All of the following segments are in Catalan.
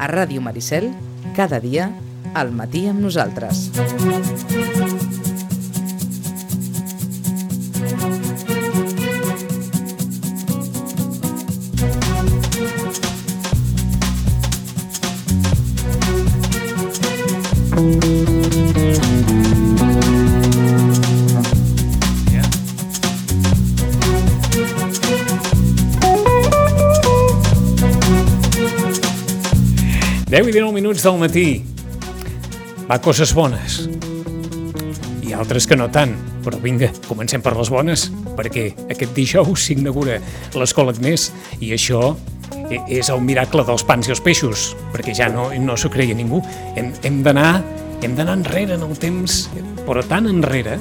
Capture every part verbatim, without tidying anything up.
A Ràdio Maricel, cada dia, al matí amb nosaltres. deu i dinou minuts del matí. Va, coses bones. I altres que no tant. Però vinga, comencem per les bones, perquè aquest dijous s'inaugura l'Escola Agnès i això és el miracle dels pans i els peixos, perquè ja no, no s'ho creia ningú. Hem, hem d'anar hem d'anar enrere en el temps, però tan enrere,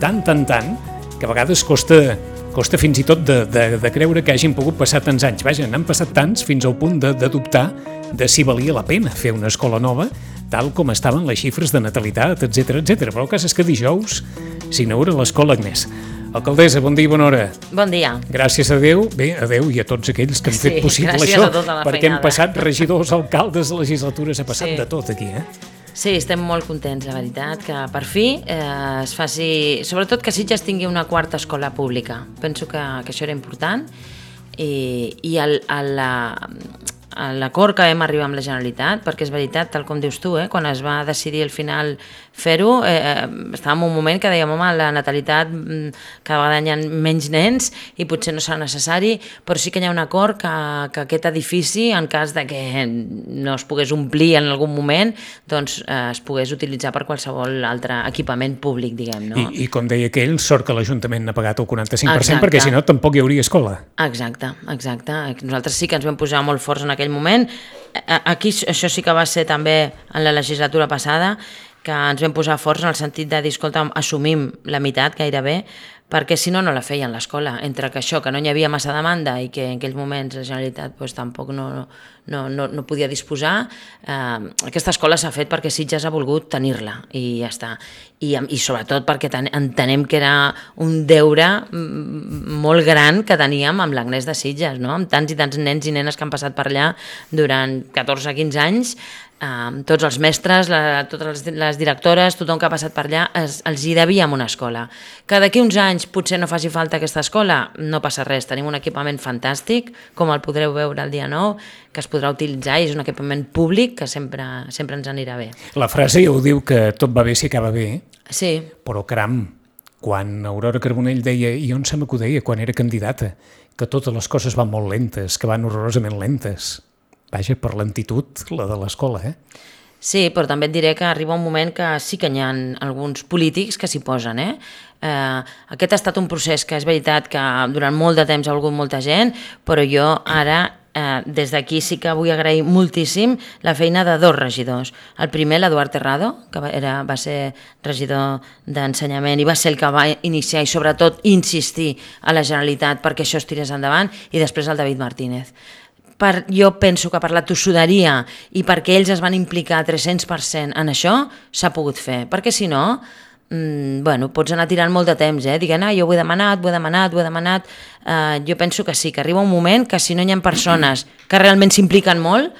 tant, tant, tant, que a vegades costa, costa fins i tot de, de, de creure que hagin pogut passar tants anys. Vaja, n'han passat tants fins al punt de, de dubtar de si valia la pena fer una escola nova, tal com estaven les xifres de natalitat, etcètera, etcètera. Però el cas és que dijous s'inaugura l'Escola Agnès. Alcaldessa, bon dia i bona hora. Bon dia. Gràcies a Déu, bé, a Déu i a tots aquells que han sí, fet possible això, perquè feinada. hem passat regidors, alcaldes, legislatures, ha passat sí. de tot aquí, eh? Sí, estem molt contents, la veritat, que per fi eh, es faci... Sobretot que Sitges tingui una quarta escola pública. Penso que, que això era important i, i el, el, l'acord que vam arribar amb la Generalitat, perquè és veritat, tal com dius tu, eh, quan es va decidir al final fer-ho, eh, estàvem en un moment que dèiem, home, la natalitat cada vegada hi ha menys nens i potser no serà necessari, però sí que hi ha un acord que, que aquest edifici, en cas de que no es pogués omplir en algun moment, doncs eh, es pogués utilitzar per qualsevol altre equipament públic, diguem, no? I, i com deia aquell, sort que l'Ajuntament n'ha pagat el quaranta-cinc per cent, exacte. Perquè si no tampoc hi hauria escola. Exacte, exacte. Nosaltres sí que ens vam posar molt forts en aquell moment. Aquí això sí que va ser també en la legislatura passada, que ens vam posar forts en el sentit de dir, escolta, assumim la meitat gairebé, perquè si no, no la feien l'escola. Entre que això, que no hi havia massa demanda i que en aquells moments la Generalitat pues, tampoc no, no, no, no podia disposar, eh, aquesta escola s'ha fet perquè Sitges ha volgut tenir-la i ja està. I, i sobretot perquè ten, entenem que era un deure molt gran que teníem amb l'Agnès de Sitges, no? Amb tants i tants nens i nenes que han passat per allà durant catorze a quinze anys. Uh, tots els mestres, la, totes les, les directores, tothom que ha passat per allà, es, els hi devíem una escola. Que d'aquí uns anys potser no faci falta aquesta escola, no passa res, tenim un equipament fantàstic, com el podreu veure el dia nou, que es podrà utilitzar i és un equipament públic que sempre, sempre ens anirà bé. La frase ja ho diu que tot va bé si acaba bé, sí. Però caram, quan Aurora Carbonell deia, i on se m'ho deia quan era candidata, que totes les coses van molt lentes, que van horrorosament lentes. Vaja, per lentitud, la de l'escola, eh? Sí, però també et diré que arriba un moment que sí que hi ha alguns polítics que s'hi posen, eh? Eh, aquest ha estat un procés que és veritat que durant molt de temps ha volgut molta gent, però jo ara, eh, des d'aquí sí que vull agrair moltíssim la feina de dos regidors. El primer, l'Eduard Terrado, que era, va ser regidor d'ensenyament i va ser el que va iniciar i sobretot insistir a la Generalitat perquè això es tirés endavant, i després el David Martínez. Per, jo penso que per la tossuderia i perquè ells es van implicar tres-cents per cent en això, s'ha pogut fer. Perquè si no, mmm, bueno, pots anar tirant molt de temps, eh? Diguent, ah, jo ho he demanat, ho he demanat, ho he demanat. Uh, jo penso que sí, que arriba un moment que si no hi ha persones que realment s'impliquen molt,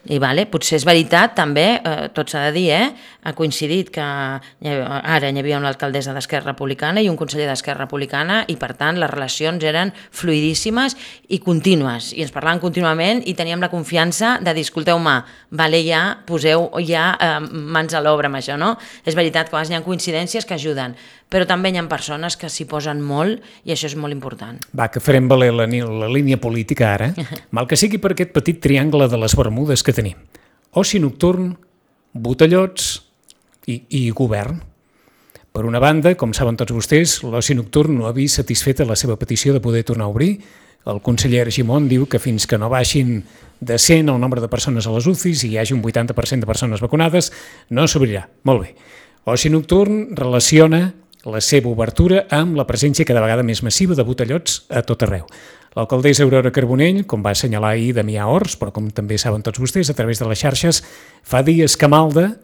i vale, potser és veritat també, eh, tot s'ha de dir, eh? Ha coincidit que ara hi havia una alcaldessa d'Esquerra Republicana i un conseller d'Esquerra Republicana i per tant les relacions eren fluidíssimes i contínues i ens parlaven contínuament i teníem la confiança de dir, escolteu-me, vale, ja poseu ja eh, mans a l'obra amb això, no? És veritat que a vegades hi ha coincidències que ajuden, però també hi ha persones que s'hi posen molt i això és molt important. Va, que farem valer la, la línia política ara, mal que sigui per aquest petit triangle de les Bermudes que tenim. Oci nocturn, botellots i, i govern. Per una banda, com saben tots vostès, l'oci nocturn no ha vist satisfeta la seva petició de poder tornar a obrir. El conseller Argimon diu que fins que no baixin de cent el nombre de persones a les U C Is i hi hagi un vuitanta per cent de persones vacunades, no s'obrirà. Molt bé. Oci nocturn relaciona la seva obertura amb la presència cada vegada més massiva de botellots a tot arreu. L'alcaldessa Aurora Carbonell, com va assenyalar ahir Damià Ors, però com també saben tots vostès a través de les xarxes, fa dies que malda,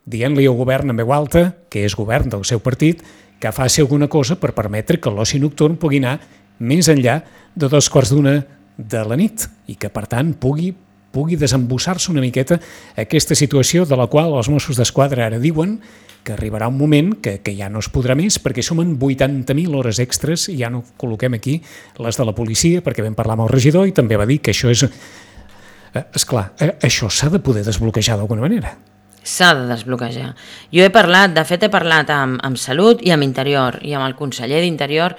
dient-li al govern en veu alta, que és govern del seu partit, que faci alguna cosa per permetre que l'oci nocturn pugui anar més enllà de dos quarts d'una de la nit i que, per tant, pugui pugui desembussar-se una miqueta aquesta situació de la qual els Mossos d'Esquadra ara diuen que arribarà un moment que, que ja no es podrà més perquè som en vuitanta mil hores extres i ja no col·loquem aquí les de la policia perquè vam parlar amb el regidor i també va dir que això és... Eh, esclar, eh, això s'ha de poder desbloquejar d'alguna manera. S'ha de desbloquejar. Jo he parlat, de fet he parlat amb, amb Salut i amb Interior i amb el conseller d'Interior.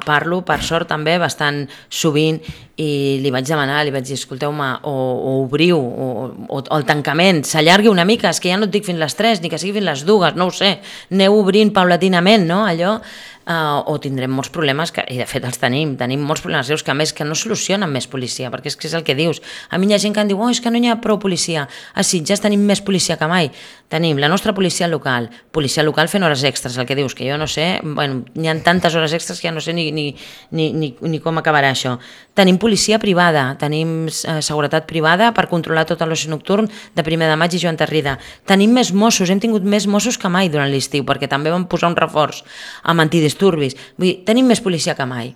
Parlo, per sort també, bastant sovint i li vaig demanar, li vaig dir, escolteu-me, o, o obriu, o, o, o el tancament s'allargui una mica, és que ja no et dic fins les tres, ni que sigui fins les dues, no ho sé, aneu obrint paulatinament, no?, allò, uh, o tindrem molts problemes, que, i de fet els tenim, tenim molts problemes greus que a més que no solucionen més policia, perquè és que és el que dius. A mi hi ha gent que em diu, oh, és que no hi ha prou policia. A Sitges tenim més policia que mai. Tenim la nostra policia local, policia local fent hores extres, el que dius, que jo no sé, bueno, hi ha tantes hores extres que ja no sé ni, ni, ni, ni, ni com acabarà això. Tenim policia privada, tenim eh, seguretat privada per controlar tot l'oci nocturn de primer de maig i Joan Tarrida. Tenim més Mossos, hem tingut més Mossos que mai durant l'estiu, perquè també vam posar un reforç amb antidisturbis. Vull dir, tenim més policia que mai.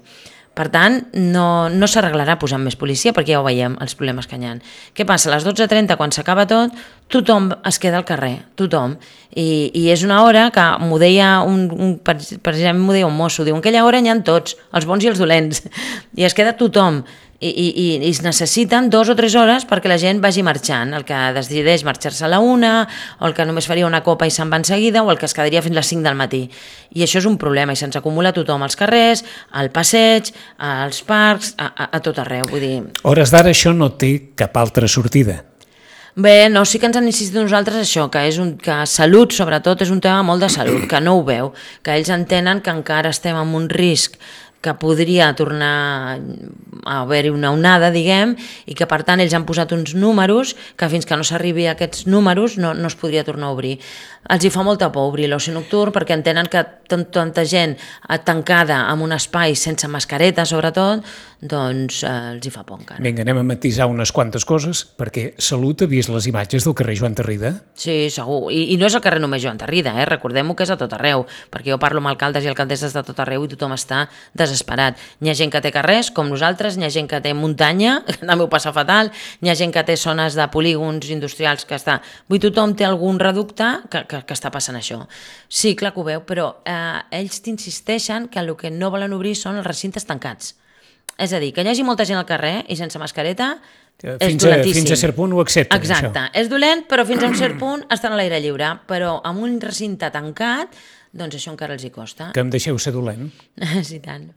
Per tant, no, no s'arreglarà posant més policia, perquè ja ho veiem, els problemes que hi ha. Què passa? A les dotze trenta, quan s'acaba tot, tothom es queda al carrer, tothom. I, i és una hora que m'ho deia un, un, per exemple, m'ho deia un mosso, diu, en aquella hora n'hi ha tots, els bons i els dolents, i es queda tothom. I, i, i es necessiten dos o tres hores perquè la gent vagi marxant, el que decideix marxar-se a la una, o el que només faria una copa i se'n va en seguida, o el que es quedaria fins les cinc del matí. I això és un problema, i se'ns acumula tothom als carrers, al passeig, als parcs, a, a, a tot arreu. Vull dir... Hores d'ara això no té cap altra sortida. Bé, no, sí que ens han insistit nosaltres això, que, és un, que salut, sobretot, és un tema molt de salut, que no ho veu, que ells entenen que encara estem en un risc que podria tornar a haver-hi una onada, diguem, i que per tant ells han posat uns números que fins que no s'arribi a aquests números no, no es podria tornar a obrir. Els hi fa molta por obrir l'oci nocturn perquè entenen que tanta gent tancada en un espai sense mascareta, sobretot, doncs eh, els hi fa por encara. Vinga, anem a matisar unes quantes coses, perquè Salut ha vist les imatges del carrer Joan Tarrida? Sí, segur. I, i no és el carrer només Joan Tarrida, eh? Recordem-ho que és a tot arreu, perquè jo parlo amb alcaldes i alcaldesses de tot arreu i tothom està desesperat. N'hi ha gent que té carrers, com nosaltres, n'hi ha gent que té muntanya, que també ho passa fatal, n'hi ha gent que té zones de polígons industrials que està... Vull dir, tothom té algun reducte que, que, que està passant això. Sí, clar que ho veu, però eh, ells t'insisteixen que el que no volen obrir són els recintes tancats. És a dir, que hi hagi molta gent al carrer i sense mascareta és fins dolentíssim. A, fins a cert punt ho accepten, Exacte, això. És dolent, però fins a un cert punt estan a l'aire lliure, però amb un recinte tancat, doncs això encara els hi costa. Que em deixeu ser dolent? Sí, tant.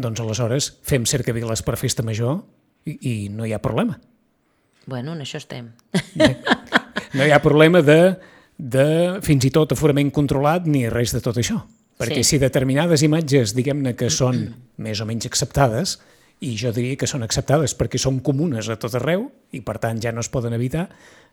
Doncs aleshores fem cercaviles per festa major i, i no hi ha problema. Bueno, en això estem. No hi ha problema de, de fins i tot aforament controlat ni res de tot això. Perquè sí. Si determinades imatges, diguem-ne que són més o menys acceptades, i jo diria que són acceptades perquè són comunes a tot arreu i per tant ja no es poden evitar,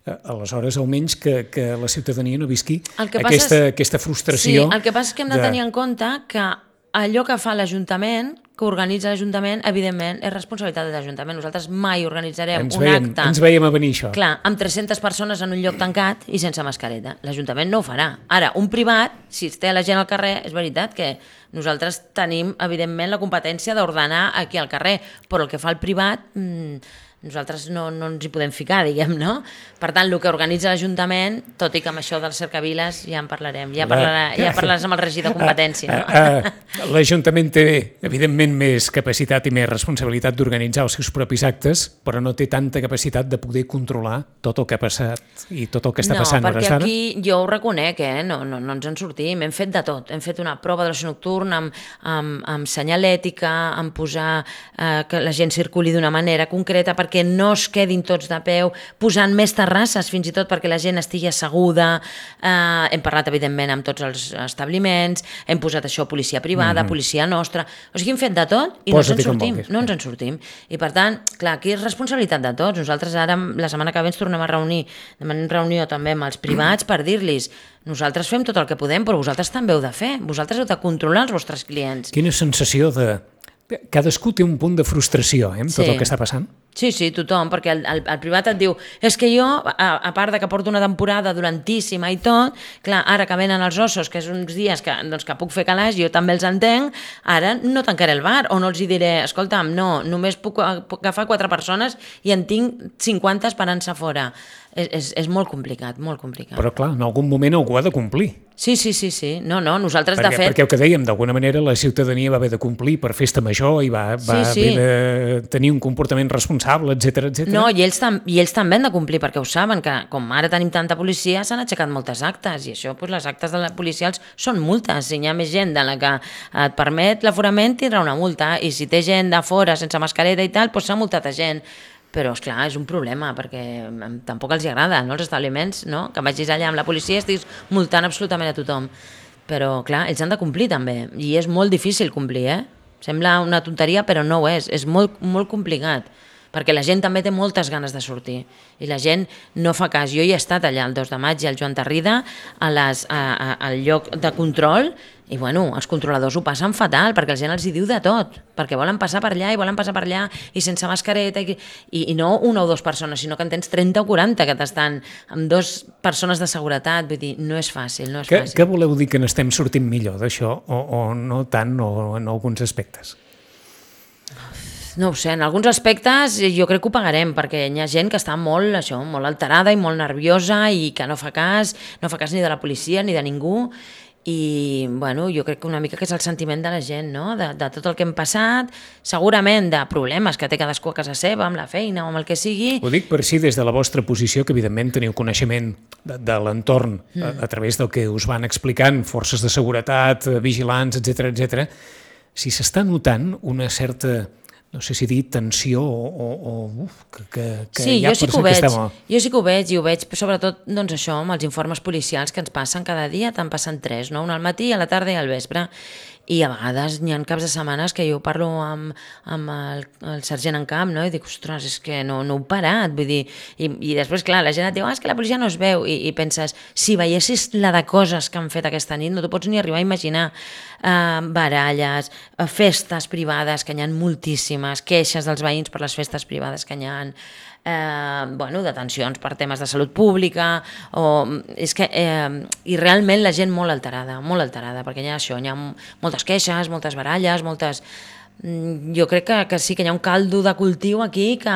aleshores almenys que, que la ciutadania no visqui aquesta, és, aquesta frustració. Sí, el que passa és que hem de, de tenir en compte que allò que fa l'Ajuntament, que organitza l'Ajuntament, evidentment, és responsabilitat de l'Ajuntament. Nosaltres mai organitzarem ens un veiem, acte... Ens veiem a venir això. Clar, amb tres-centes persones en un lloc tancat i sense mascareta. L'Ajuntament no ho farà. Ara, un privat, si es té la gent al carrer, és veritat que nosaltres tenim, evidentment, la competència d'ordenar aquí al carrer, però el que fa el privat... Mmm, nosaltres no, no ens hi podem ficar, diguem, no? Per tant, el que organitza l'Ajuntament, tot i que amb això dels cercaviles ja en parlarem, ja, parlarà, ja parlaràs amb el regidor de competència. No? Uh, uh, L'Ajuntament té, evidentment, més capacitat i més responsabilitat d'organitzar els seus propis actes, però no té tanta capacitat de poder controlar tot el que ha passat i tot el que està no, passant hores No, d'ara. perquè aquí jo ho reconec, eh? no, no, no ens en sortim, hem fet de tot, hem fet una prova de l'oci nocturn amb, amb, amb senyalètica, amb posar eh, que la gent circuli d'una manera concreta, perquè que no es quedin tots de peu, posant més terrasses fins i tot perquè la gent estigui asseguda, eh, hem parlat evidentment amb tots els establiments, hem posat això policia privada, mm-hmm. policia nostra, o sigui hem fet de tot i no ens en sortim, no ens en sortim. I per tant, clar, aquí és responsabilitat de tots, nosaltres ara la setmana que ve ens tornem a reunir, demanem reunió també amb els privats per dir-los nosaltres fem tot el que podem, però vosaltres també heu de fer, vosaltres heu de controlar els vostres clients. Quina sensació de... Cadascú té un punt de frustració, eh, amb tot sí. el que està passant. Sí, sí, tothom, perquè el, el, el privat et diu és que jo, a, a part de que porto una temporada durantíssima i tot, clar, ara que venen els ossos, que és uns dies que, doncs, que puc fer calaix, jo també els entenc, ara no tancaré el bar, o no els hi diré, escolta'm, no, només puc, puc agafar quatre persones i en tinc cinquanta esperant-se fora. És, és, és molt complicat, molt complicat. Però clar, en algun moment algú ha de complir. Sí, sí, sí, sí. No, no, nosaltres perquè, de fet... Perquè el que dèiem, d'alguna manera la ciutadania va haver de complir per festa major i va, va sí, sí. haver de tenir un comportament responsable, etcètera, etcètera. No, i ells, tam i ells també han de complir, perquè ho saben, que com ara tenim tanta policia, s'han aixecat moltes actes, i això, doncs, les actes de la policials són multes. Si hi ha més gent de la que et permet l'aforament, tindrà una multa, i si té gent de fora sense mascareta i tal, doncs s'ha multat a gent. Però, esclar, és un problema, perquè tampoc els agrada, no?, els establiments, no?, que vagis allà amb la policia i estiguis multant absolutament a tothom. Però, clar, ells han de complir també, i és molt difícil complir, eh? Sembla una tonteria, però no ho és, és molt, molt complicat, perquè la gent també té moltes ganes de sortir, i la gent no fa cas. Jo hi he estat allà el dos de maig i el Joan Tarrida, a les, a, a, al lloc de control, i bueno, els controladors ho passen fatal, perquè la gent els hi diu de tot, perquè volen passar per allà i volen passar per allà, i sense mascareta, i, i, i no una o dues persones, sinó que en tens trenta o quaranta que t'estan amb dues persones de seguretat, vull dir, no és fàcil, no és que, fàcil. Què voleu dir, que n'estem sortint millor d'això, o, o no tant, o en alguns aspectes? No ho sé, en alguns aspectes jo crec que ho pagarem, perquè hi ha gent que està molt, això, molt alterada i molt nerviosa i que no fa cas, no fa cas ni de la policia ni de ningú, i bueno, jo crec que una mica que és el sentiment de la gent, no?, de, de tot el que hem passat, segurament de problemes que té cadascú a casa seva, amb la feina o amb el que sigui. Ho dic per si des de la vostra posició, que evidentment teniu coneixement de, de l'entorn mm. a, a través del que us van explicant, forces de seguretat, vigilants, etcètera, etcètera, si s'està notant una certa, no sé si dir tensió o, o, o uf, que, que, que sí, hi ha jo sí que ho que veig, estem... jo sí que ho veig, i ho veig sobretot doncs això, amb els informes policials que ens passen cada dia, te'n passen tres, no? Un al matí, a la tarda i al vespre, i a vegades hi ha caps de setmanes que jo parlo amb, amb el, el sergent en camp, no? I dic, ostres, és que no, no heu parat, vull dir, i, i després, clar, la gent et diu, ah, és que la policia no es veu, i, i penses, si veiessis la de coses que han fet aquesta nit, no t'ho pots ni arribar a imaginar, uh, baralles, uh, festes privades, que n'hi ha moltíssimes, queixes dels veïns per les festes privades que n'hi ha, Eh, bueno, detencions per temes de salut pública, o, és que, eh, i realment la gent molt alterada, molt alterada, perquè hi ha això, hi ha moltes queixes, moltes baralles, moltes... Jo crec que, que sí que hi ha un caldo de cultiu aquí que...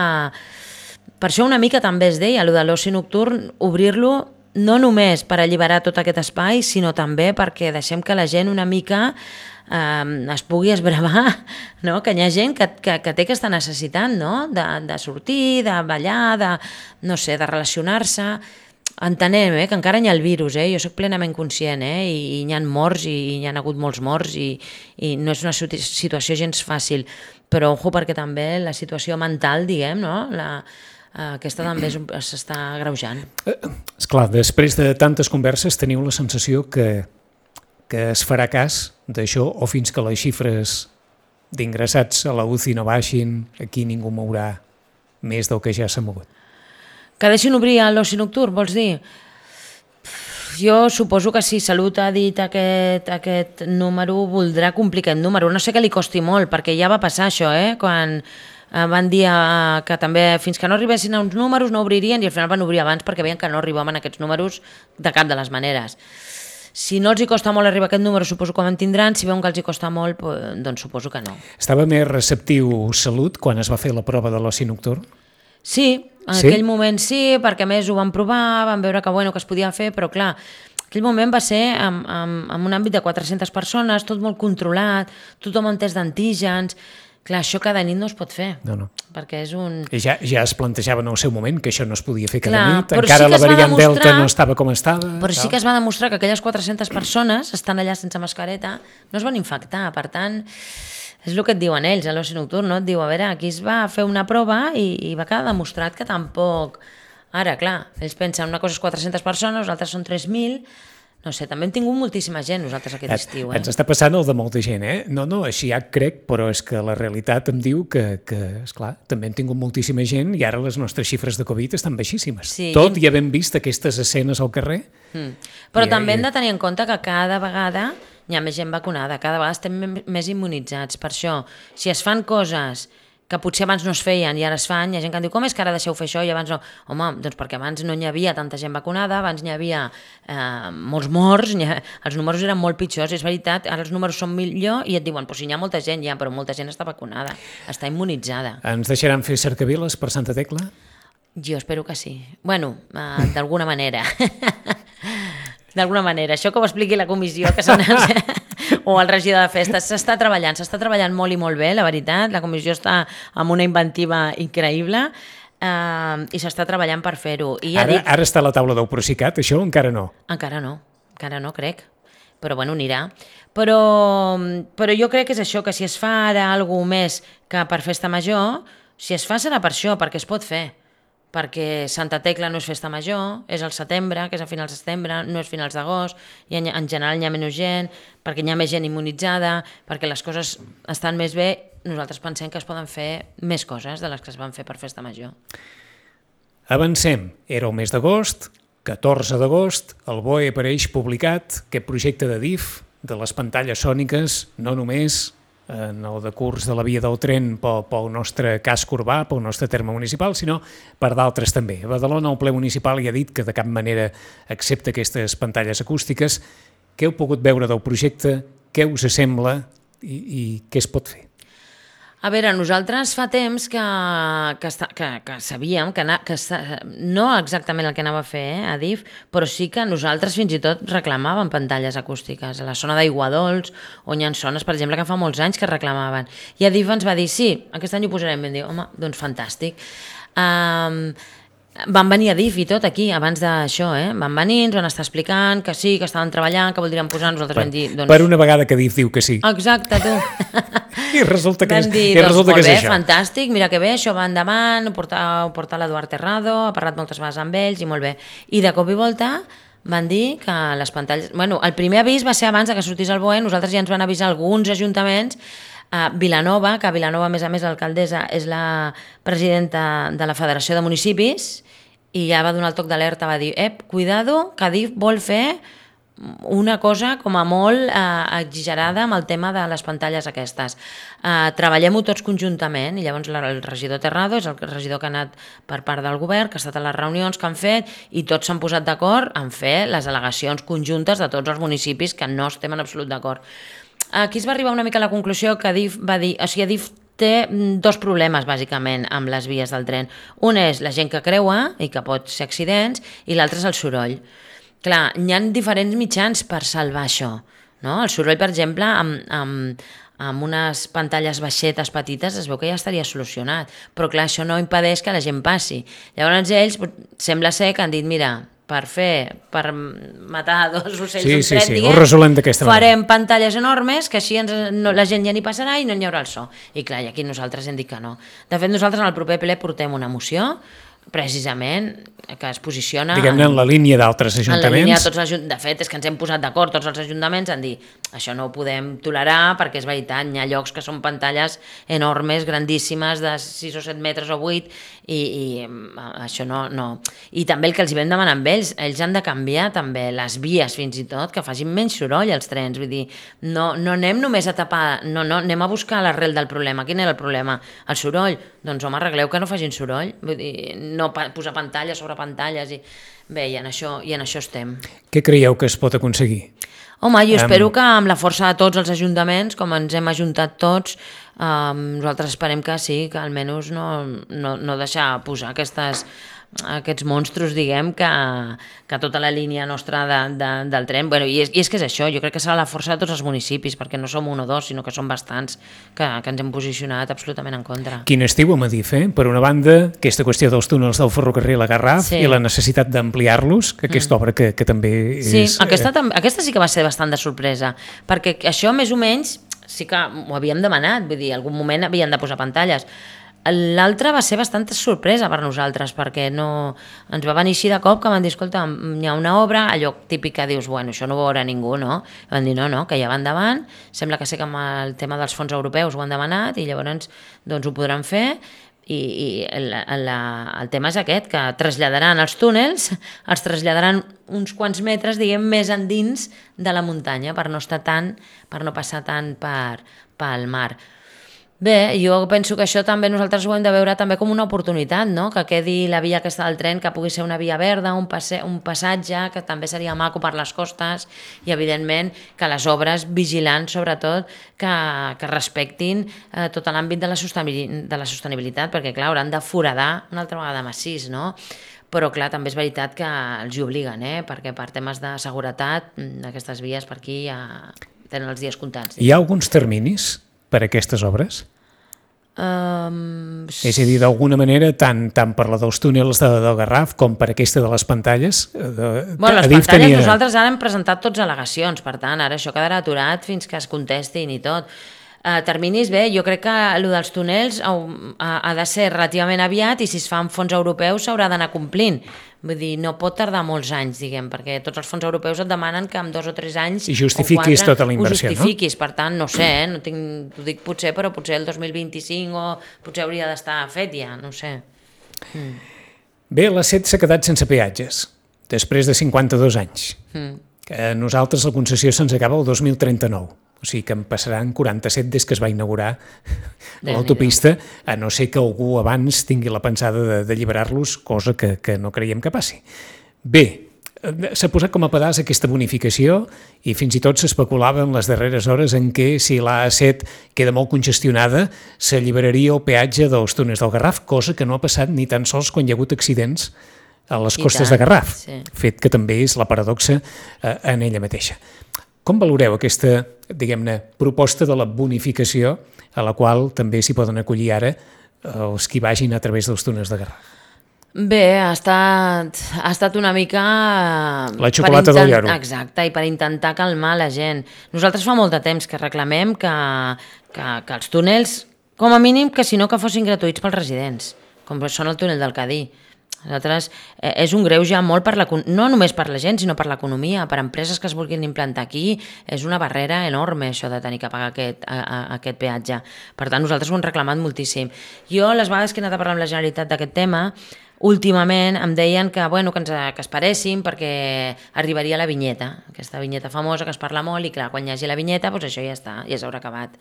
Per això una mica també es deia, allò de l'oci nocturn, obrir-lo no només per alliberar tot aquest espai, sinó també perquè deixem que la gent una mica eh, es pugui esbravar, no? Que hi ha gent que, que, que té aquesta necessitat, no? de, de sortir, de ballar, de, no sé, de relacionar-se. Entenem eh, que encara hi ha el virus, eh? Jo soc plenament conscient, eh? I, i hi ha morts, i, i hi ha hagut molts morts, i, i no és una situació gens fàcil, però ojo, perquè també la situació mental, diguem, no? La, aquesta també s'està agreujant. Esclar, després de tantes converses teniu la sensació que, que es farà cas d'això, o fins que les xifres d'ingressats a la U C I no baixin, aquí ningú mourà més del que ja s'ha mogut? Que deixin obrir l'oci nocturn, vols dir? Jo suposo que si Salut ha dit aquest, aquest número, voldrà complir aquest número. No sé que li costi molt, perquè ja va passar això, eh? Quan van dir que també fins que no arribessin a uns números no obririen, i al final van obrir abans perquè veien que no arribaven a aquests números de cap de les maneres. Si no els hi costa molt arribar a aquest número, suposo que en tindran. Si veuen que els hi costa molt, doncs suposo que no. Estava més receptiu Salut quan es va fer la prova de l'oci nocturn? Sí, en sí? aquell moment sí, perquè a més ho van provar, van veure que, bueno, que es podia fer, però clar, aquell moment va ser en, en, en un àmbit de quatre-centes persones, tot molt controlat, tothom amb test d'antígens. Clar, això cada nit no es pot fer, no, no. perquè és un... I ja, ja es plantejava en el seu moment que això no es podia fer cada Clar, nit, encara sí la variant demostrar... Delta no estava com estava... Però tal. Sí que es va demostrar que aquelles quatre-centes persones estan allà sense mascareta, no es van infectar, per tant, és el que et diuen ells, a l'oci nocturn, no? Et diu, a veure, aquí es va fer una prova i, i va quedar demostrat que tampoc... Ara, clar, ells pensen una cosa és quatre-centes persones, les altres són tres mil... No sé, també hem tingut moltíssima gent nosaltres aquest estiu. Eh? Ens està passant el de molta gent, eh? No, no, així ja crec, però és que la realitat em diu que, que esclar, també hem tingut moltíssima gent i ara les nostres xifres de Covid estan baixíssimes. Sí, Tot i havent vist aquestes escenes al carrer. Mm. Però i, també i... hem de tenir en compte que cada vegada hi ha més gent vacunada, cada vegada estem més immunitzats. Per això, si es fan coses que potser abans no es feien i ara es fan, hi ha gent que em diu, com és que ara deixeu fer això i abans no? Home, doncs perquè abans no hi havia tanta gent vacunada, abans n'hi havia eh, molts morts, ha, els números eren molt pitjors, és veritat, ara els números són millor i et diuen, pues si hi ha molta gent, ja, però molta gent està vacunada, està immunitzada. Ens deixaran fer cercaviles per Santa Tecla? Jo espero que sí. Bueno, eh, d'alguna manera. D'alguna manera. Això que ho expliqui la comissió, que són els... o el regidor de festes, s'està treballant, s'està treballant molt i molt bé, la veritat, la comissió està amb una inventiva increïble eh, i s'està treballant per fer-ho. I ja Ara, dic, ara està a la taula del Procicat, això encara no? encara no, encara no, crec, però bueno, anirà. Però, però jo crec que és això, que si es fa ara alguna més que per festa major, si es fa serà per això, perquè es pot fer. Perquè Santa Tecla no és festa major, és al setembre, que és a finals de setembre, no és finals d'agost, i en, en general hi ha menys gent, perquè hi ha més gent immunitzada, perquè les coses estan més bé, nosaltres pensem que es poden fer més coses de les que es van fer per festa major. Avancem, era el mes d'agost, catorze d'agost, el B O E apareix publicat aquest projecte de D I F, de les pantalles sòniques, no només en el decurs de la via del tren pel, pel nostre casc urbà, pel nostre terme municipal, sinó per d'altres també. A Badalona el ple municipal ja ha dit que de cap manera accepta aquestes pantalles acústiques. Què heu pogut veure del projecte? Què us sembla i, i què es pot fer? A veure, nosaltres fa temps que, que, està, que, que sabíem que, na, que està, no exactament el que anava a fer eh, a D I F, però sí que nosaltres fins i tot reclamàvem pantalles acústiques. A la zona d'Aiguadols, on hi ha zones, per exemple, que fa molts anys que reclamaven. I a D I F ens va dir, sí, aquest any ho posarem. Vam dir, home, doncs fantàstic. Um, van venir a D I F i tot aquí, abans d'això, eh? Van venir, ens van estar explicant que sí, que estaven treballant, que voldrien posar, nosaltres per, vam dir... Doncs... Per una vegada que D I F diu que sí. Exacte, tu. I resulta que, vam és, dir, i doncs, resulta que és bé, això. Fantàstic, mira que bé, això va endavant, ho porta, ho porta l'Eduard Terrado, ha parlat moltes vegades amb ells i molt bé. I de cop i volta van dir que les pantalles... Bueno, el primer avís va ser abans que sortís el B O E, nosaltres ja ens van avisar alguns ajuntaments, a Vilanova, que a Vilanova, a més a més, l'alcaldessa és la presidenta de la Federació de Municipis, i ja va donar el toc d'alerta, va dir, ep, cuidado, que D I F vol fer una cosa com a molt eh, exagerada amb el tema de les pantalles aquestes. Eh, Treballem-ho tots conjuntament, i llavors el regidor Terrado és el regidor que ha anat per part del govern, que ha estat a les reunions que han fet, i tots s'han posat d'acord en fer les al·legacions conjuntes de tots els municipis que no estem en absolut d'acord. Aquí es va arribar una mica a la conclusió que D I F va dir, o sigui, D I F té dos problemes, bàsicament, amb les vies del tren. Un és la gent que creua i que pot ser accidents, i l'altre és el soroll. Clar, hi ha diferents mitjans per salvar això, no? El soroll, per exemple, amb, amb, amb unes pantalles baixetes petites es veu que ja estaria solucionat, però clar, això no impedeix que la gent passi. Llavors ells, sembla ser que han dit, mira, per fer, per matar dos ocells sí, d'un sí, tret, sí, diguem, ho resolem d'aquesta manera. Farem pantalles enormes, que així ens, no, la gent ja n'hi passarà i no hi haurà el so. I clar, i aquí nosaltres hem dit que no. De fet, nosaltres en el proper ple portem una moció, precisament, que es posiciona... Diguem-ne en la línia d'altres ajuntaments. En la línia de tots els ajuntaments. De fet, és que ens hem posat d'acord tots els ajuntaments en dir això no ho podem tolerar perquè és veritat, hi ha llocs que són pantalles enormes, grandíssimes, de sis o set metres o vuit, i, i això no, no... I també el que els hi vam demanar amb ells, ells han de canviar també les vies fins i tot, que facin menys soroll els trens, vull dir, no, no anem només a tapar, no, no, anem a buscar l'arrel del problema. Quin era el problema? El soroll? Doncs home, arregleu que no facin soroll, vull dir, no posar pantalles sobre pantalles, i bé, i en això, i en això estem. Què creieu que es pot aconseguir? Home, jo espero que amb la força de tots els ajuntaments, com ens hem ajuntat tots, eh, nosaltres esperem que sí, que almenys no, no, no deixar posar aquestes, aquests monstros, diguem, que, que tota la línia nostra de, de, del tren, bueno, i, és, i és que és això, jo crec que serà la força de tots els municipis, perquè no som un o dos, sinó que són bastants que, que ens hem posicionat absolutament en contra. Quin estiu a Madif, eh? Per una banda, aquesta qüestió dels túnels del ferrocarril a Garraf sí. i la necessitat d'ampliar-los, que aquesta mm. obra que, que també sí, és... Aquesta, aquesta sí que va ser bastant de sorpresa, perquè això més o menys sí que ho havíem demanat, vull dir, en algun moment havien de posar pantalles. L'altre va ser bastanta sorpresa per nosaltres, perquè no, ens va venir així de cop que van dir, escolta, hi ha una obra, allò típic que dius, bueno, això no ho veurà ningú, no? I van dir, no, no, que ja va endavant, sembla que sé que amb el tema dels fons europeus ho han demanat i llavors doncs ho podran fer, i, i el, el, el tema és aquest, que traslladaran els túnels, els traslladaran uns quants metres, diguem, més endins de la muntanya, per no estar tant, per no passar tant per, pel mar. Bé, jo penso que això també nosaltres ho hem de veure també com una oportunitat, no? Que quedi la via aquesta del tren, que pugui ser una via verda, un, passe, un passatge, que també seria maco per les costes, i evidentment que les obres vigilant sobretot que, que respectin eh, tot l'àmbit de, la de la sostenibilitat, perquè clar, hauran de foradar una altra vegada massís, no? Però clar, també és veritat que els hi obliguen, eh? Perquè per temes de seguretat aquestes vies per aquí ja tenen els dies comptats. Hi ha alguns terminis per a aquestes obres? Um, és a dir, d'alguna manera, tant, tant per la dels túnels de, del Garraf com per aquesta de les pantalles? De, bueno, les pantalles tenia... nosaltres ara hem presentat tots al·legacions, per tant, ara això quedarà aturat fins que es contestin i tot. Uh, terminis, bé, jo crec que el dels túnels ha, ha de ser relativament aviat i si es fa amb fons europeus s'haurà d'anar complint. Vull dir, no pot tardar molts anys, diguem, perquè tots els fons europeus et demanen que en dos o tres anys i justifiquis o quatre, tota la inversió, ho justifiquis, no? Per tant, no sé, eh? No tinc, ho dic potser, però potser el dos mil vint-i-cinc o potser hauria d'estar fet ja, no sé. Mm. Bé, la C E T s'ha quedat sense peatges, després de cinquanta-dos anys. Mm. Que a nosaltres la concessió se'ns acaba el dos mil trenta-nou. O sigui que en passaran quaranta-set des que es va inaugurar l'autopista, a no ser que algú abans tingui la pensada de, de alliberar-los, cosa que, que no creiem que passi. Bé, s'ha posat com a pedaç aquesta bonificació i fins i tot s'especulava en les darreres hores en què si l'A set queda molt congestionada s'alliberaria el peatge dels túnels del Garraf, cosa que no ha passat ni tan sols quan hi ha hagut accidents a les costes de Garraf, sí. Fet que també és la paradoxa eh, en ella mateixa. Com valoreu aquesta, diguem-ne, proposta de la bonificació a la qual també s'hi poden acollir ara els qui vagin a través dels túnels de Garraf? Bé, ha estat, ha estat una mica... La xocolata intent... del lloro. Exacte, i per intentar calmar la gent. Nosaltres fa molt de temps que reclamem que, que, que els túnels, com a mínim, que si no que fossin gratuïts pels residents, com són el túnel del Cadí. Nosaltres, eh, és un greuge molt per la, no només per la gent, sinó per l'economia, per empreses que es vulguin implantar aquí, és una barrera enorme això de tenir que pagar aquest, a, a, aquest peatge. Per tant, nosaltres ho hem reclamat moltíssim. Jo, les vegades que he anat a parlar amb la Generalitat d'aquest tema, últimament em deien que, bueno, que ens que esperéssim perquè arribaria la vinyeta, aquesta vinyeta famosa que es parla molt i clar, quan hi hagi la vinyeta, doncs això ja està, ja s'haurà acabat.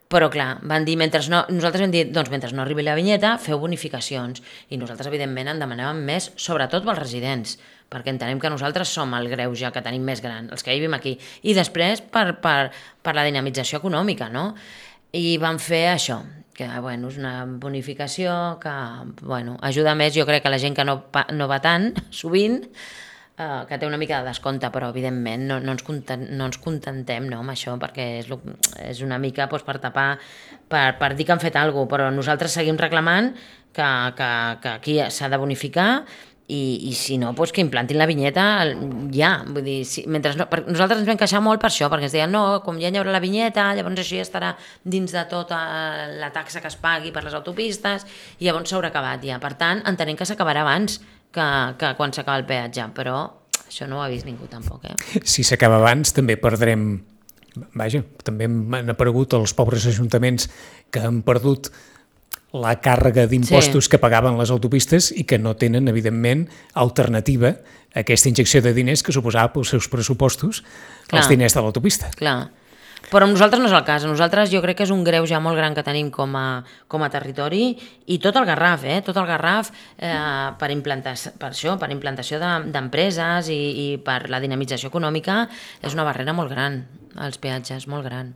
Però clar, van dir, mentre no, nosaltres vam dir, doncs mentre no arribi la vinyeta, feu bonificacions. I nosaltres, evidentment, en demanàvem més, sobretot pels residents, perquè entenem que nosaltres som el greuge que tenim més gran, els que vivim aquí. I després per, per, per la dinamització econòmica, no? I van fer això, que bueno, és una bonificació que bueno, ajuda més, jo crec que la gent que no, no va tant, sovint, Uh, que té una mica de descompte, però evidentment no, no, ens, content, no ens contentem no, amb això, perquè és, lo, és una mica doncs, per tapar, per, per dir que han fet alguna cosa, però nosaltres seguim reclamant que, que, que aquí s'ha de bonificar i, i si no, doncs, que implantin la vinyeta ja, vull dir, si, mentre no, per, nosaltres ens vam queixar molt per això, perquè ens deien no, com ja hi haurà la vinyeta, llavors això ja estarà dins de tota la taxa que es pagui per les autopistes i llavors s'haurà acabat ja, per tant entenem que s'acabarà abans que, que quan s'acaba el peatge, però això no ho ha vist ningú tampoc. Eh? Si s'acaba abans també perdrem, vaja, també han aparegut els pobres ajuntaments que han perdut la càrrega d'impostos sí. que pagaven les autopistes i que no tenen, evidentment, alternativa a aquesta injecció de diners que suposava pels seus pressupostos clar, els diners de l'autopista. Clar. Però amb nosaltres no és el cas. A nosaltres jo crec que és un greuge molt gran que tenim com a, com a territori i tot el Garraf, eh? tot el Garraf eh, per, implantar, per això, per implantació d'empreses de, i, i per la dinamització econòmica és una barrera molt gran, els peatges, molt gran.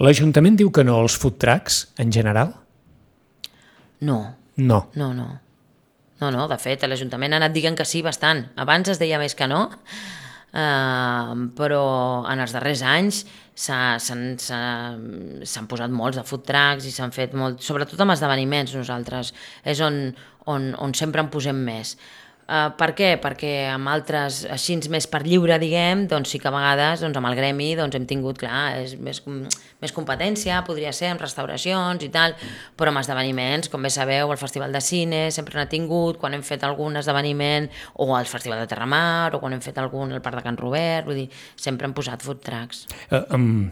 L'Ajuntament diu que no als food trucks, en general? No. No. No, no. No, no, de fet, l'Ajuntament ha anat dient que sí bastant. Abans es deia més que no, Uh, però en els darrers anys s'han posat molts de food trucks i s'han fet molt, sobretot amb esdeveniments nosaltres, és on, on, on sempre en posem més. Uh, per què? Perquè amb altres, així més per lliure, diguem, doncs sí que a vegades doncs amb el gremi doncs hem tingut, clar, és més, més competència, podria ser amb restauracions i tal, però amb esdeveniments, com bé sabeu, el Festival de Cine sempre n'ha tingut, quan hem fet algun esdeveniment, o el Festival de Terramar, o quan hem fet algun al Parc de Can Robert, vull dir, sempre hem posat food trucks. Uh, um,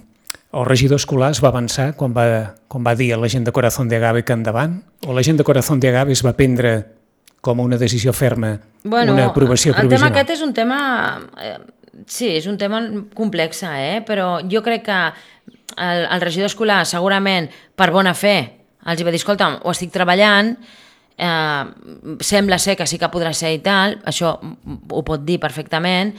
el regidor escolar es va avançar quan va, quan va dir a la gent de Corazón de Agave que endavant, o la gent de Corazón de Agave es va prendre com una decisió ferma, bueno, una aprovació provisional? El tema aquest és un tema... Eh, sí, és un tema complex, eh? Però jo crec que el, el regidor escolar segurament per bona fe els hi va dir, escolta, ho estic treballant, eh, sembla ser que sí que podrà ser i tal, això ho pot dir perfectament,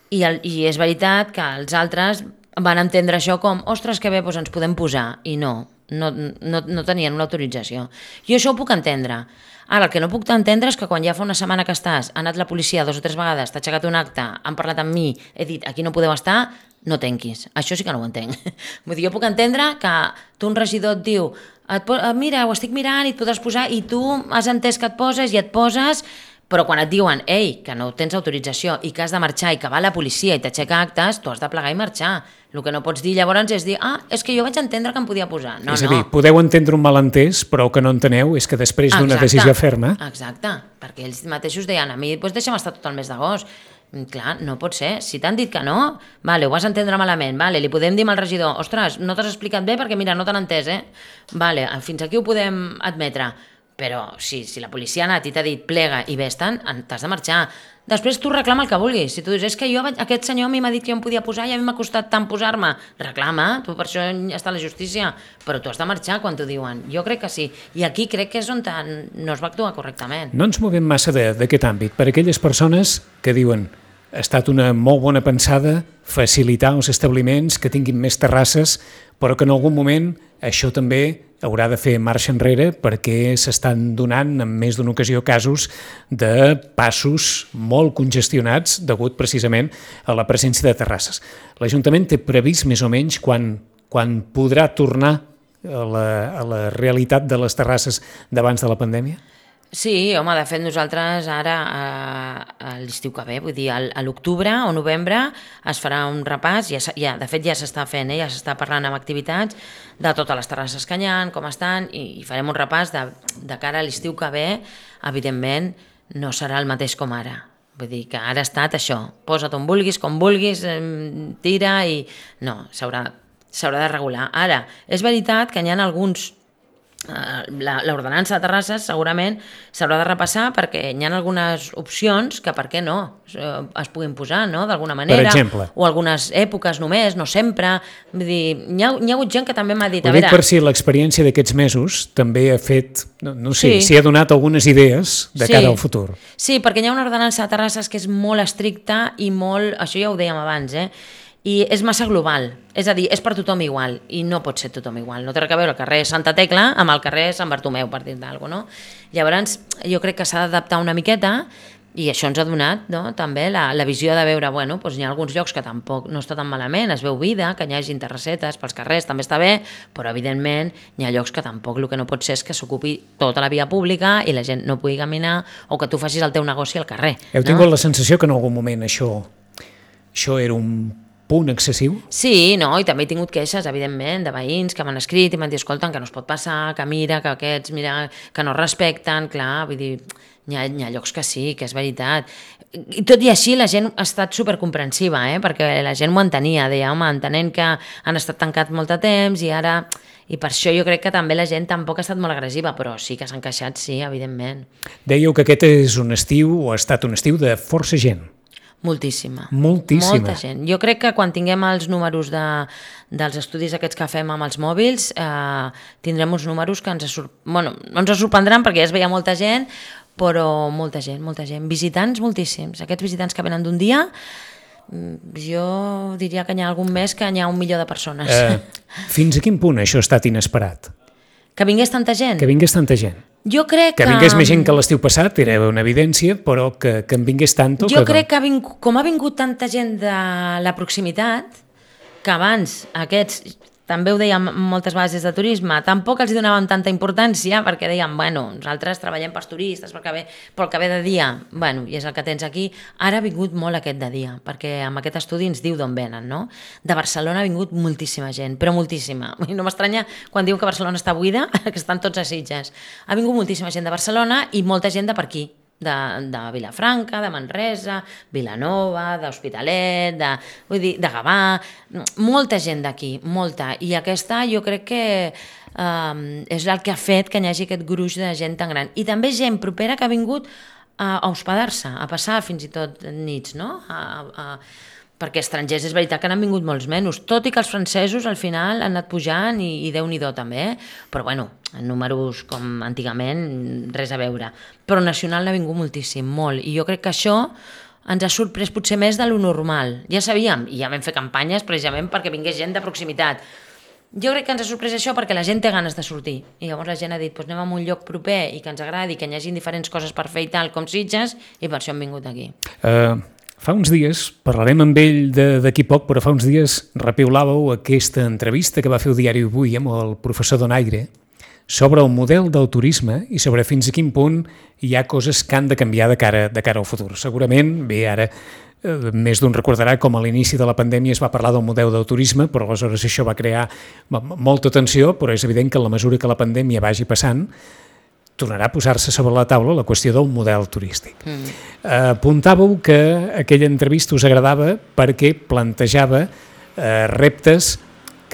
i, el, i és veritat que els altres van entendre això com, ostres, que bé, doncs ens podem posar, i no, no, no, no tenien una autorització. Jo això ho puc entendre. Ara, el que no puc entendre és que quan ja fa una setmana que estàs, ha anat la policia dos o tres vegades, t'ha aixecat un acte, han parlat amb mi, he dit, aquí no podeu estar, no tenquis. Això sí que no ho entenc. Vull dir, jo puc entendre que tu un regidor et diu, et mira, ho estic mirant i et podràs posar, i tu has entès que et poses i et poses, però quan et diuen, ei, que no tens autorització i que has de marxar i que va la policia i t'aixeca actes, tu has de plegar i marxar. El que no pots dir llavors és dir, ah, és que jo vaig entendre que em podia posar. No, és a dir, no. Podeu entendre un malentès, però el que no enteneu és que després d'una decisió ferma... Exacte, perquè ells mateixos deien, a mi, doncs deixa'm estar tot el mes d'agost. Clar, no pot ser. Si t'han dit que no, vale, ho vas entendre malament, vale, li podem dir al regidor, ostres, no t'has explicat bé perquè mira, no t'han entès, eh? Vale, fins aquí ho podem admetre. Però si, si la policia ha anat i t'ha dit plega i vés-te'n, t'has de marxar. Després tu reclama el que vulguis. Si tu dius, és que jo, aquest senyor a mi m'ha dit que jo em podia posar i a mi m'ha costat tant posar-me, reclama, tu per això està a la justícia, però tu has de marxar quan t'ho diuen. Jo crec que sí. I aquí crec que és on no es va actuar correctament. No ens movem massa d'aquest àmbit. Per aquelles persones que diuen ha estat una molt bona pensada facilitar els establiments que tinguin més terrasses, però que en algun moment això també haurà de fer marxa enrere perquè s'estan donant en més d'una ocasió casos de passos molt congestionats degut precisament a la presència de terrasses. L'Ajuntament té previst més o menys quan, quan podrà tornar a la, a la realitat de les terrasses d'abans de la pandèmia? Sí, home, de fet nosaltres ara a l'estiu que ve, vull dir, a l'octubre o novembre es farà un repàs, ja, ja, de fet ja s'està fent, eh, ja s'està parlant amb activitats de totes les terrasses que hi ha, com estan, i, i farem un repàs de, de cara a l'estiu que ve, evidentment no serà el mateix com ara. Vull dir que ara ha estat això, posa't on vulguis, com vulguis, tira i... No, s'haurà s'haurà de regular. Ara, és veritat que hi ha alguns... l'ordenança de terrasses segurament s'haurà de repassar perquè hi ha algunes opcions que per què no es puguin posar, no? D'alguna manera, o algunes èpoques només, no sempre. Vull dir, hi ha, hi ha hagut gent que també m'ha dit... Ho dic per si l'experiència d'aquests mesos també ha fet, no, no sé, sí. si ha donat algunes idees de sí. cara al futur. Sí, perquè hi ha una ordenança de terrasses que és molt estricta i molt, això ja ho dèiem abans, eh? I és massa global, és a dir, és per tothom igual, i no pot ser tothom igual. No té res a veure el carrer Santa Tecla amb el carrer Sant Bartomeu, per dir d'alguna cosa, no? Llavors, jo crec que s'ha d'adaptar una miqueta, i això ens ha donat, no?, també la, la visió de veure, bueno, doncs hi ha alguns llocs que tampoc no està tan malament, es veu vida, que hi hagi terrassetes pels carrers, també està bé, però evidentment hi ha llocs que tampoc el que no pot ser és que s'ocupi tota la via pública i la gent no pugui caminar o que tu facis el teu negoci al carrer. Heu tingut no? la sensació que en algun moment això, això era un punt excessiu? Sí, no, i també he tingut queixes, evidentment, de veïns que m'han escrit i m'han dit, escolta, que no es pot passar, que mira, que aquests, mira, que no respecten, clar, vull dir, hi ha, hi ha llocs que sí, que és veritat. I tot i així la gent ha estat supercomprensiva, eh? Perquè la gent m'ho entenia, deia, home, entenent que han estat tancats molt de temps i ara... I per això jo crec que també la gent tampoc ha estat molt agressiva, però sí que s'han queixat, sí, evidentment. Dèieu que aquest és un estiu, o ha estat un estiu de força gent. Moltíssima. Moltíssima. Molta gent. Jo crec que quan tinguem els números de, dels estudis aquests que fem amb els mòbils, eh, tindrem uns números que ens, sor... bueno, no ens sorprendran perquè ja es veia molta gent, però molta gent, molta gent. Visitants moltíssims. Aquests visitants que venen d'un dia, jo diria que hi ha algun mes que hi ha un milió de persones. Eh, fins a quin punt això ha estat inesperat? Que vingués tanta gent? Que vingués tanta gent. Jo crec que... Que vingués més gent que l'estiu passat, era una evidència, però que, que en vingués tanto... Jo que... crec que ha vingut, com ha vingut tanta gent de la proximitat, que abans aquests, també ho dèiem moltes vegades des de turisme, tampoc els donàvem tanta importància, perquè dèiem, bueno, nosaltres treballem pels turistes, pel que ve, pel que ve de dia, bueno, i és el que tens aquí. Ara ha vingut molt aquest de dia, perquè amb aquest estudi ens diu d'on venen, no? De Barcelona ha vingut moltíssima gent, però moltíssima. No m'estranya quan diuen que Barcelona està buida, que estan tots a Sitges. Ha vingut moltíssima gent de Barcelona i molta gent de per aquí. De, de Vilafranca, de Manresa, Vilanova, d'Hospitalet, de, vull dir, de Gavà, molta gent d'aquí, molta. I aquesta jo crec que um, és el que ha fet que hi hagi aquest gruix de gent tan gran. I també gent propera que ha vingut a, a hospedar-se, a passar fins i tot nits, no? A, a, perquè estrangers és veritat que n'han vingut molts menys, tot i que els francesos al final han anat pujant i, i Déu-n'hi-do també, però bueno, en números com antigament res a veure. Però nacional n'ha vingut moltíssim, molt, i jo crec que això ens ha sorprès potser més de lo normal. Ja sabíem, i ja vam fer campanyes precisament perquè vingués gent de proximitat. Jo crec que ens ha sorprès això perquè la gent té ganes de sortir, i llavors la gent ha dit, doncs anem a un lloc proper i que ens agradi, que hi hagi diferents coses per fer i tal, com Sitges, i per això hem vingut aquí. Uh, fa uns dies, parlarem amb ell d'aquí poc, però fa uns dies repiulàveu aquesta entrevista que va fer el diari Avui amb el professor Donaire sobre el model del turisme i sobre fins a quin punt hi ha coses que han de canviar de cara, de cara al futur. Segurament, bé, ara eh, més d'un recordarà com a l'inici de la pandèmia es va parlar del model del turisme, però aleshores això va crear molta tensió, però és evident que a la mesura que la pandèmia vagi passant, tornarà a posar-se sobre la taula la qüestió del model turístic. Mm. Eh, apuntàveu que aquella entrevista us agradava perquè plantejava eh, reptes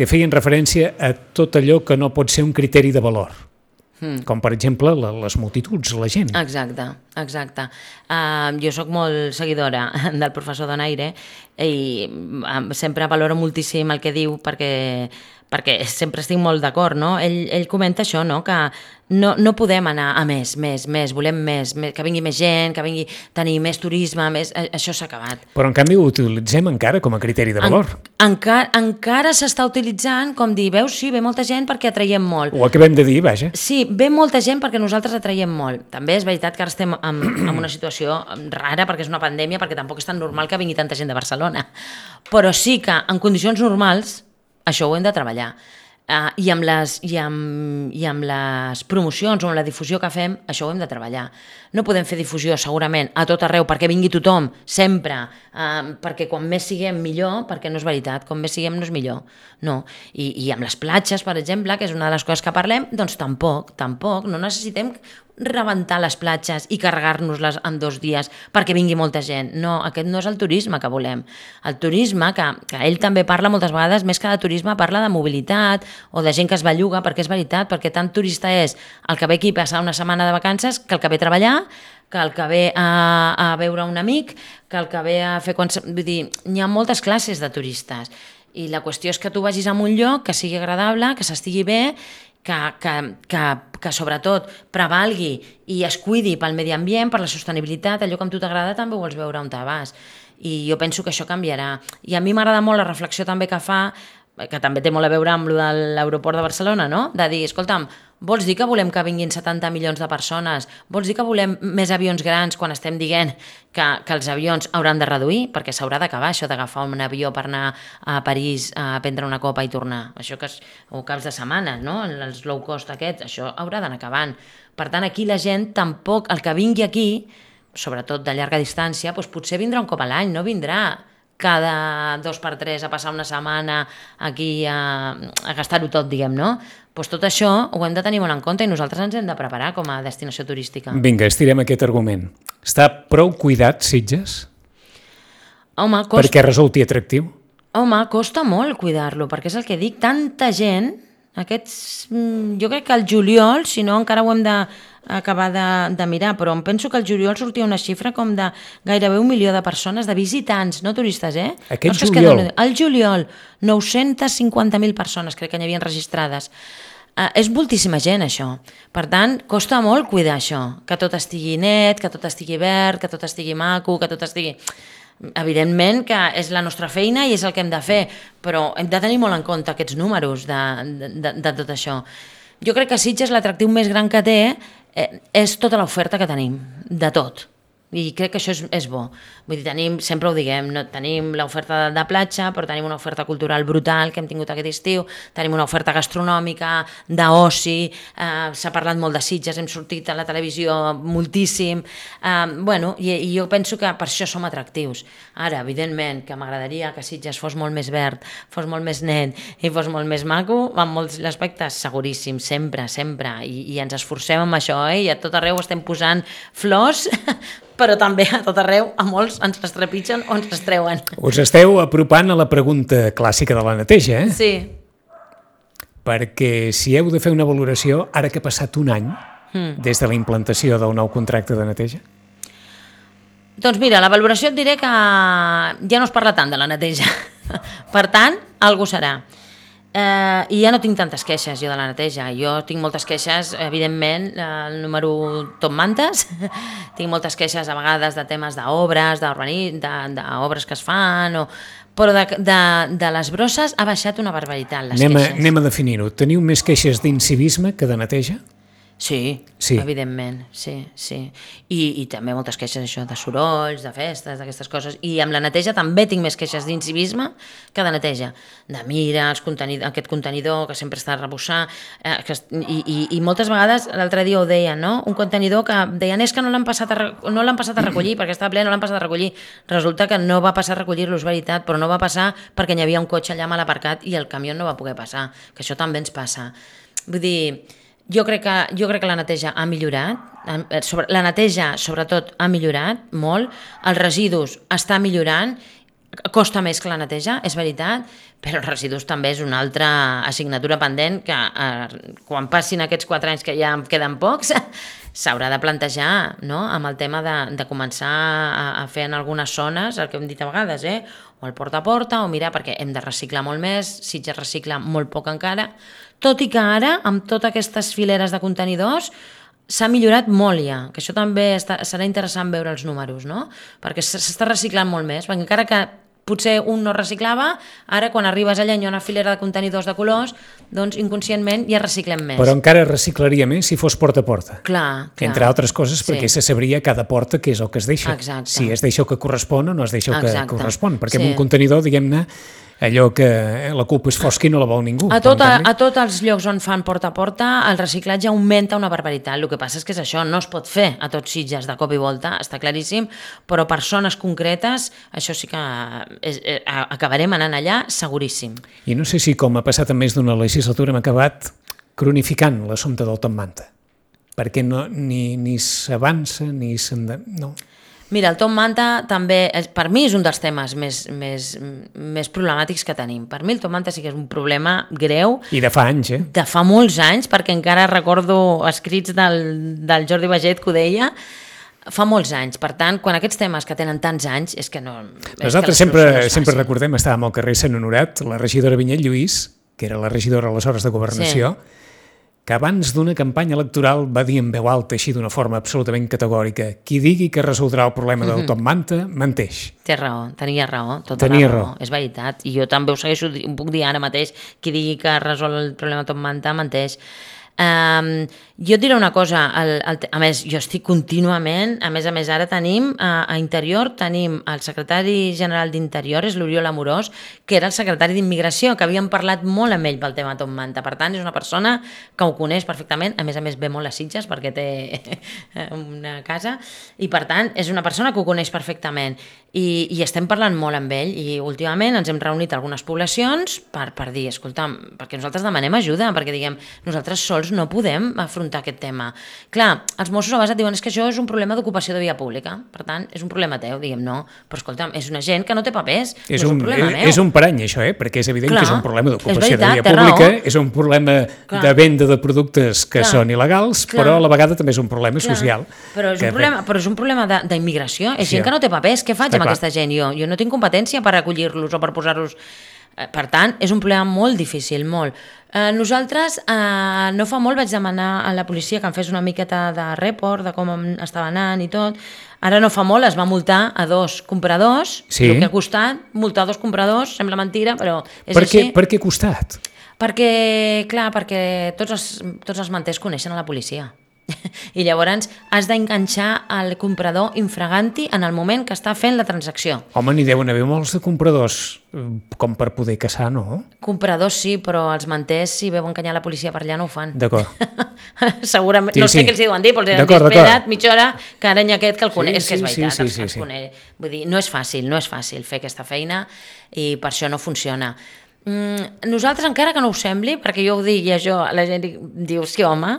que feien referència a tot allò que no pot ser un criteri de valor, mm. com per exemple la, les multituds, la gent. Exacte, exacte. Uh, jo sóc molt seguidora del professor Donaire i uh, sempre valoro moltíssim el que diu perquè, perquè sempre estic molt d'acord, no? Ell, ell comenta això, no? Que no, no podem anar a més, més, més, volem més, més, que vingui més gent, que vingui tenir més turisme, més, això s'ha acabat. Però en canvi ho utilitzem encara com a criteri de valor. En, encara encara s'està utilitzant com dir, veus, sí, ve molta gent perquè atraiem molt. Ho acabem de dir, vaja. Sí, ve molta gent perquè nosaltres atraiem molt. També és veritat que ara estem en, en una situació rara perquè és una pandèmia, perquè tampoc és tan normal que vingui tanta gent de Barcelona. Però sí que en condicions normals això ho hem de treballar. Uh, i, amb les, i, amb, i amb les promocions o amb la difusió que fem, això ho hem de treballar. No podem fer difusió segurament a tot arreu perquè vingui tothom, sempre, uh, perquè quan més siguem millor, perquè no és veritat, com més siguem no és millor. No. I, i amb les platges, per exemple, que és una de les coses que parlem, doncs tampoc, tampoc, no necessitem rebentar les platges i carregar-nos-les en dos dies perquè vingui molta gent. No, aquest no és el turisme que volem. El turisme, que, que ell també parla moltes vegades, més que de turisme, parla de mobilitat o de gent que es belluga, perquè és veritat, perquè tant turista és el que ve aquí a passar una setmana de vacances que el que ve a treballar, que el que ve a, a veure un amic, que el que ve a fer... Vull dir, hi ha moltes classes de turistes i la qüestió és que tu vagis a un lloc que sigui agradable, que s'estigui bé, que, que, que, que sobretot prevalgui i es cuidi pel medi ambient, per la sostenibilitat, allò que a tu t'agrada també ho vols veure on te vas. I jo penso que això canviarà. I a mi m'agrada molt la reflexió també que fa, que també té molt a veure amb lo de l'aeroport de Barcelona, no? De dir, escolta'm, vols dir que volem que vinguin setanta milions de persones? Vols dir que volem més avions grans quan estem dient que, que els avions hauran de reduir? Perquè s'haurà d'acabar això d'agafar un avió per anar a París a prendre una copa i tornar. Això que és, o caps de setmana, no? Els low cost aquests, això haurà d'anar acabant. Per tant, aquí la gent tampoc, el que vingui aquí, sobretot de llarga distància, doncs potser vindrà un cop a l'any, no vindrà cada dos per tres a passar una setmana aquí a, a gastar-ho tot, diguem, no? Doncs tot això ho hem de tenir molt en compte i nosaltres ens hem de preparar com a destinació turística. Vinga, estirem aquest argument. Està prou cuidat, Sitges? Home, costa... Perquè resulti atractiu? Home, costa molt cuidar-lo, perquè és el que dic, tanta gent, aquests... Jo crec que el juliol, si no encara ho hem de acabar de, de mirar, però em penso que el juliol sortia una xifra com de gairebé un milió de persones, de visitants, no turistes, eh? Aquest no juliol? Que el juliol, nou-centes cinquanta mil persones crec que n'hi havia registrades. Uh, és moltíssima gent, això. Per tant, costa molt cuidar això, que tot estigui net, que tot estigui verd, que tot estigui maco, que tot estigui... Evidentment que és la nostra feina i és el que hem de fer, però hem de tenir molt en compte aquests números de, de, de tot això. Jo crec que Sitges l'atractiu més gran que té eh, és tota l'oferta que tenim, de tot. I crec que això és, és bo. Vull dir, tenim, sempre ho diguem, no, tenim l'oferta de, de platja, però tenim una oferta cultural brutal que hem tingut aquest estiu, tenim una oferta gastronòmica, d'oci, eh, s'ha parlat molt de Sitges, hem sortit a la televisió moltíssim, eh, bueno, i, i jo penso que per això som atractius. Ara, evidentment, que m'agradaria que Sitges fos molt més verd, fos molt més net i fos molt més maco, en molts aspectes, seguríssim, sempre, sempre, i, i ens esforcem amb això, eh? I a tot arreu estem posant flors, però també a tot arreu a molts ens les trepitgen o ens les treuen. Us esteu apropant a la pregunta clàssica de la neteja, eh? Sí. Perquè si heu de fer una valoració, ara que ha passat un any mm. des de la implantació del nou contracte de neteja? Doncs mira, la valoració et diré que ja no es parla tant de la neteja. Per tant, algú serà. Eh, I ja no tinc tantes queixes jo de la neteja. Jo tinc moltes queixes, evidentment, el número top mantes. Tinc moltes queixes a vegades de temes d'obres, d'obres que es fan, o... però de, de, de les brosses ha baixat una barbaritat, les anem queixes. A, anem a definir-ho. Teniu més queixes d'incivisme que de neteja? Sí, sí, evidentment, sí, sí. I, i també moltes queixes això de sorolls, de festes, d'aquestes coses. I amb la neteja també tinc més queixes d'incivisme que de neteja. De mira, els contenidor, aquest contenidor que sempre està a rebussar, eh, que, i, i, i moltes vegades, l'altre dia ho deien, no? Un contenidor que deien és que no l'han passat, a, no l'han passat a recollir, perquè estava ple, no l'han passat a recollir. Resulta que no va passar a recollir-lo, és veritat, però no va passar perquè hi havia un cotxe allà mal aparcat i el camió no va poder passar, que això també ens passa. Vull dir... Jo crec, que, jo crec que la neteja ha millorat, sobre, la neteja sobretot ha millorat molt, els residus està millorant, costa més que la neteja, és veritat, però els residus també és una altra assignatura pendent que eh, quan passin aquests quatre anys que ja en queden pocs, s'haurà de plantejar, no?, amb el tema de, de començar a, a fer en algunes zones, el que hem dit a vegades, eh? O el porta a porta, o mirar, perquè hem de reciclar molt més, Sitges recicla molt poc encara, tot i que ara, amb totes aquestes fileres de contenidors, s'ha millorat molt ja, que això també està, serà interessant veure els números, no? Perquè s'està reciclant molt més, perquè encara que potser un no reciclava, ara quan arribes allà i hi ha una filera de contenidors de colors, doncs inconscientment ja reciclem més. Però encara reciclaria més si fos porta a porta. Clar, clar. Entre altres coses, perquè sí. Se sabria cada porta què és el que es deixa. Exacte. Si es deixa el que correspon o no es deixa el Exacte. Que correspon. Perquè sí. en un contenidor, diguem-ne, allò que la culpa és fosca i no la vol ningú. A, tot, a, a tots els llocs on fan porta a porta, el reciclatge augmenta una barbaritat. El que passa és que és això, no es pot fer a tots Sitges de cop i volta, està claríssim, però per zones concretes, això sí que és, eh, acabarem anant allà seguríssim. I no sé si, com ha passat en més d'una legislatura, hem acabat cronificant l'assumpte del Top Manta, perquè no, ni, ni s'avança ni se'n... No. Mira, el Top Manta també, per mi és un dels temes més, més, més problemàtics que tenim. Per mi el Top Manta sí que és un problema greu. I de fa anys, eh? De fa molts anys, perquè encara recordo escrits del, del Jordi Baget que ho deia, fa molts anys. Per tant, quan aquests temes que tenen tants anys, és que no... Nosaltres que sempre, no sempre recordem, estàvem al carrer Sant Honorat, la regidora Vinyet Lluís, que era la regidora aleshores de Governació, sí. Que abans d'una campanya electoral va dir en veu alta, així d'una forma absolutament categòrica, qui digui que resoldrà el problema del Top Manta, menteix. Té raó, tenia raó, tota tenia la raó. raó. És veritat, i jo també ho segueixo, ho puc dir ara mateix, qui digui que resol el problema del Top Manta, menteix. Um, jo et diré una cosa, el, el, a més, jo estic contínuament, a més a més ara tenim, a, a Interior, tenim el secretari general d'Interior, és l'Oriol Amorós, que era el secretari d'Immigració, que havíem parlat molt amb ell pel tema Top Manta, per tant és una persona que ho coneix perfectament, a més a més ve molt a Sitges perquè té una casa, i per tant és una persona que ho coneix perfectament, i, i estem parlant molt amb ell, i últimament ens hem reunit a algunes poblacions per, per dir, escolta, perquè nosaltres demanem ajuda, perquè diguem, nosaltres sols no podem afrontar aquest tema. Clar, els Mossos a vegades et diuen és que això és un problema d'ocupació de via pública, per tant, és un problema teu, diguem, no, però escolta'm, és una gent que no té papers, és, no és un, un problema és, meu. És un parany, això, eh? Perquè és evident Clar, que és un problema d'ocupació de via veritat, pública, és un problema Clar. De venda de productes que Clar. Són il·legals, Clar. Però a la vegada també és un problema Clar. Social. Però és un problema, però és un problema d'immigració, és sí, gent que no té papers, què faig amb clar. Aquesta gent? Jo, jo no tinc competència per acollir-los o per posar-los... Per tant, és un problema molt difícil, molt. Eh, nosaltres, eh, no fa molt vaig demanar a la policia que em fes una miqueta de report de com estava anant i tot. Ara no fa molt es va multar a dos compradors, sí. El que ha costat, multar dos compradors, sembla mentira, però és per així. Què, per què ha costat? Perquè, clar, perquè tots els, tots els manters coneixen a la policia. I llavors has d'enganxar el comprador infraganti en el moment que està fent la transacció. Home, n'hi deuen haver molts de compradors com per poder caçar, no? Compradors sí, però els manters si veuen enganyar la policia per allà no ho fan. D'acord. Segurament, sí, no sé sí. Què els hi deuen dir, però els han dit, espera't mitja hora que ara hi ha aquest que el coneix, sí, és que és veritat, sí, sí, sí, els, els coneix. Vull dir, no és fàcil, no és fàcil fer aquesta feina i per això no funciona. Mm, nosaltres, encara que no ho sembli, perquè jo ho dic i això, la gent diu, sí home,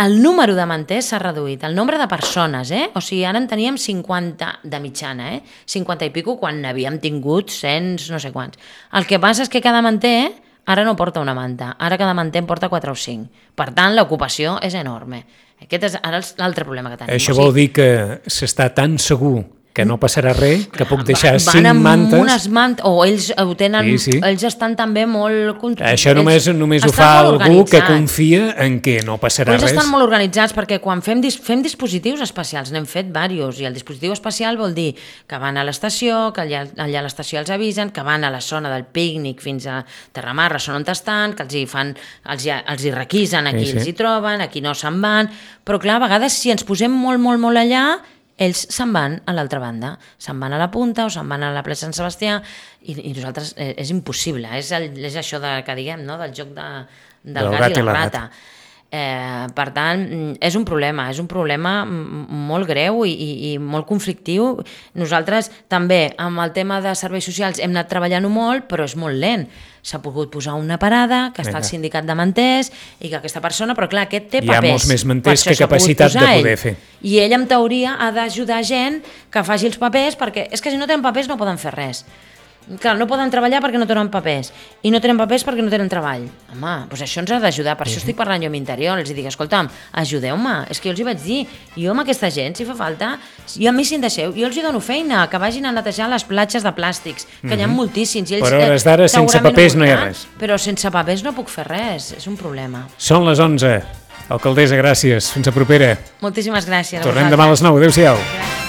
el número de manters s'ha reduït, el nombre de persones, eh? O sigui, ara en teníem cinquanta de mitjana, eh? cinquanta i pico quan n'havíem tingut cent, no sé quants. El que passa és que cada manter ara no porta una manta, ara cada manter en porta quatre o cinc. Per tant, l'ocupació és enorme. Aquest és ara l'altre problema que tenim. Això vol dir que s'està tan segur que no passarà res, que puc deixar van cinc amb mantes. unes mantes, o ells ho tenen, Sí, sí. ells estan també molt... Això només, només ho estan fa molt algú que organitzats. confia en què no passarà Ells res. estan molt organitzats perquè quan fem, dis fem dispositius especials, n'hem fet diversos, i el dispositiu especial vol dir que van a l'estació, que allà, allà a l'estació els avisen, que van a la zona del pícnic fins a Terramarra, són on estan, que els hi, fan, els hi, els hi requisen, aquí Sí, sí. els hi troben, aquí no se'n van, però clar, a vegades si ens posem molt, molt, molt allà, ells se'n van a l'altra banda, se'n van a la punta o se'n van a la plaça Sant Sebastià i, i nosaltres eh, és impossible, és, el, és això de, que diguem, no? Del joc de, del, del gat, gat i la rata. Eh, per tant, és un problema, és un problema molt greu i, i, i molt conflictiu. Nosaltres també amb el tema de serveis socials hem anat treballant-ho molt, però és molt lent. S'ha pogut posar una parada, que està el sindicat de manters, i que aquesta persona, però clar, aquest té papers. Hi ha molts més manters que capacitat de poder fer. I ell, en teoria, ha d'ajudar gent que faci els papers, perquè és que si no tenen papers no poden fer res. Clar, no poden treballar perquè no tenen papers, i no tenen papers perquè no tenen treball. Home, doncs això ens ha d'ajudar, per això estic parlant jo amb Interior, els dic, escolta'm, ajudeu-me, és que jo els hi vaig dir, jo amb aquesta gent, si fa falta, jo a mi si em deixeu, jo els hi dono feina, que vagin a netejar les platges de plàstics, que mm-hmm. hi ha moltíssims. I ells, per hores d'ara, sense papers no hi ha res. Però sense papers no puc fer res, és un problema. Són les onze. Alcaldessa, gràcies. Fins a propera. Moltíssimes gràcies. Tornem demà a les nou. Adéu-siau. Gràcies.